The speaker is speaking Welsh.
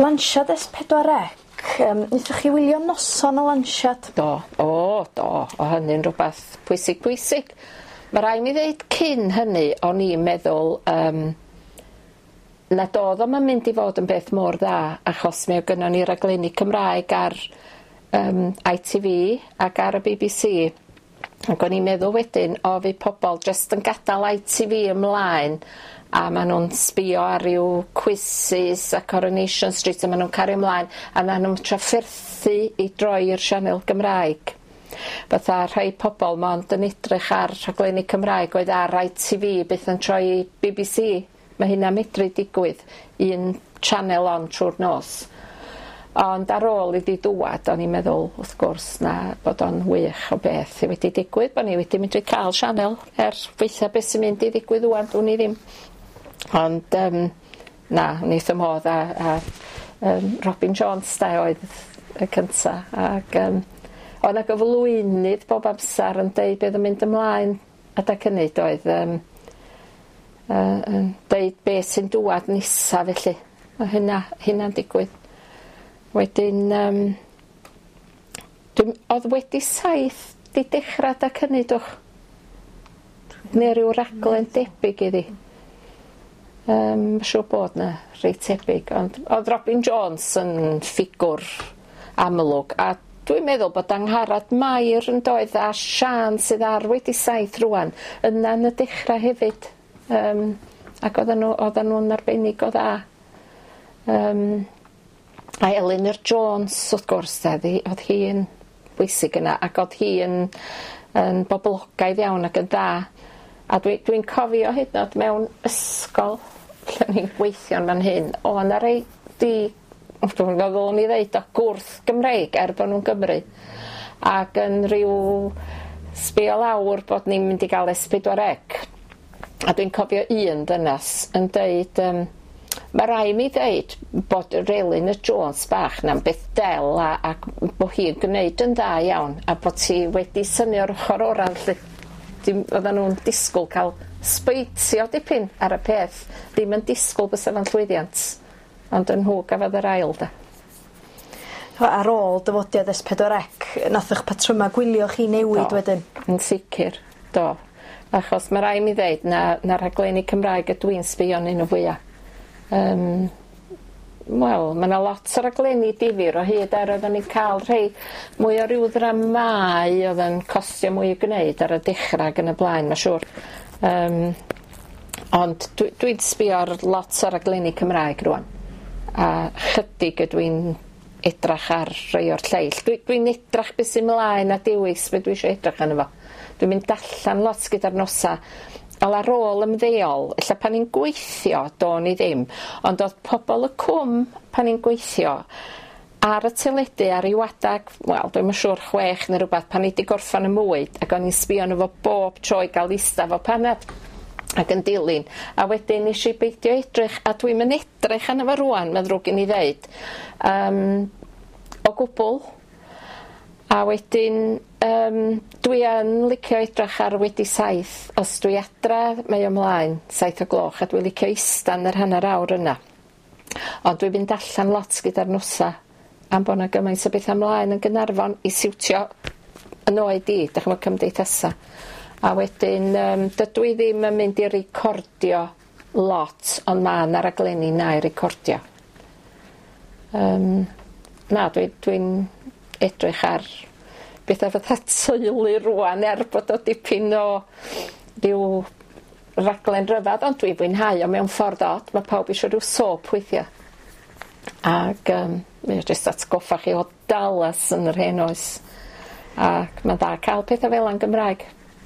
Lansiad S4C, wnaethoch chi wylio noson o lansiad? Do, o do, o hynny'n rhywbeth pwysig pwysig. Ma' rai' mi ddeud cyn hynny o'n i'n meddwl nad o'dd o'm yn mynd i fod yn beth mor dda achos mi o' gynnon ni raglenni Cymraeg ar ITV ac ar y BBC ac o'n i'n meddwl wedyn o fydd pobol jyst yn gadal ITV ymlaen a ma' nw'n sbïo ar ryw quizzes a Coronation Street a ma' nw'n cario ymlaen a na nw'm trafferthu i droi i'r sianel Gymraeg. Fatha rhai pobol mond yn edrych ar rhaglenni Cymraeg oedd ar ITV byth yn troi i BBC. Ma' hynna'n medru digwydd un channel on trw'r nos. Ond ar ôl iddi dŵad o'n i'n meddwl wrth gwrs na bod o'n wych o beth sy wedi digwydd bo' ni wedi medru ca'l sianel er gwaetha beth sy'n mynd i ddigwydd ŵan dwn i ddim. Ond na o'n i wrth 'ym modd a Robin Jones 'de oedd y cynta ag o' 'na gyflwynydd bob amsar yn deud be' o'dd yn mynd ymlaen adag hynny doedd yn deud be' sy'n dŵad nesa felly. Ma' hynna'n digwydd. Wedyn o'dd Wedi Saith 'di dechra adag hynny dwch? Ne' ryw raglen debyg iddi. Ma' siŵr bod 'na rei tebyg ond o'dd Robin Jones yn ffigwr amlwg a dwi'n meddwl bod Angharad Mair yn doedd a Siân sydd ar Wedi Saith rŵan yna yn y dechra hefyd. Ac oddan nw'n arbennig o dda. A Elinor Jones wrth gwrs de o'dd hi yn bwysig yna ac o'dd hi yn boblogaidd iawn ac yn dda. A dwi'n cofio hyd yn o'd mewn ysgol lle o'n i'n gweithio yn fan hyn o' 'na rei dwi'm yn gwbo ddylwn i ddeud o gwrth Gymreig er bo' nw'n Gymry ac yn ryw sbio lawr bod ni'n mynd i ga'l S4C a dwi'n cofio un ddynas yn deud ma' rai' mi ddeud bod yr Elinor Jones bach 'na'n beth del ac bo' hi'n gneud yn dda iawn a bod hi wedi synnu o'r ochor ora felly. Dim oddan nw'n disgwl ca'l sbeitio dipyn ar y peth, ddim yn disgwl bysa fo'n llwyddiant, ond yn nhw gafodd yr ail de. Ar ôl dyfodiad S4C nath 'ych patryma gwylio chi newid wedyn? Yn sicir, do. Achos ma' rai' mi ddeud na rhaglenni Cymraeg ydw i'n sbio arnyn nhw fwya. Wel, ma' 'na lot o raglenni difyr o hyd er oedden ni'n ca'l rhei mwy o ryw ddramâu oedd yn costio mwy i gwneud ar y dechra ag yn y blaen, ma' siŵr. Ond dwi'n sbio ar lot o raglenni Cymraeg rŵan, a chydig ydw i'n edrach ar rhai o'r lleill. Dwi'n edrach beth sy'n mlaen a dewis be dwi isio edrach arno fo. Dwi'n mynd allan lot gyda'r nosa. Wel ar ôl ymddeol, ella pan i'n gweithio, do'n i ddim, ond o'dd pobol y cwm pan i'n gweithio ar y teledu ar ryw adag, wel dwi'm yn siŵr 6 neu rwbath, pan i 'di gorffan y mwyd ac o'n i'n sbio arno fo bob tro i ga'l ista fo panad ac yn dilyn, a wedyn nes i beidio edrych, a dwi'm yn edrych arno fo rŵan, ma'n ddrwg gen i ddeud, o gwbl. A wedyn dwi yn licio edrach ar Wedi Saith, os dwi adra mae o mlaen 7 o gloch a dwi'n licio ista yn yr hanner awr yna. Ond dwi'n mynd allan lot gyda'r nosa am bo' 'na gymaint o betha mlaen yn Gaernarfon i siwtio yn oed i, dych ch'mo' cymdeithasa. A wedyn dydw i ddim yn mynd i recordio lot, ond ma' 'na raglenni 'na i recordio. Na, dwi'n edrych ar betha fatha teulu rŵan er bod o dipyn o ryw raglen ryfadd, ond dwi'n fwynhau o mewn ffordd od, ma' pawb isio rhyw soap weithia. Ag mae o jyst atgoffa chi o Dallas yn yr hen oes. Ac ma'n dda cael petha fel 'a'n Gymraeg.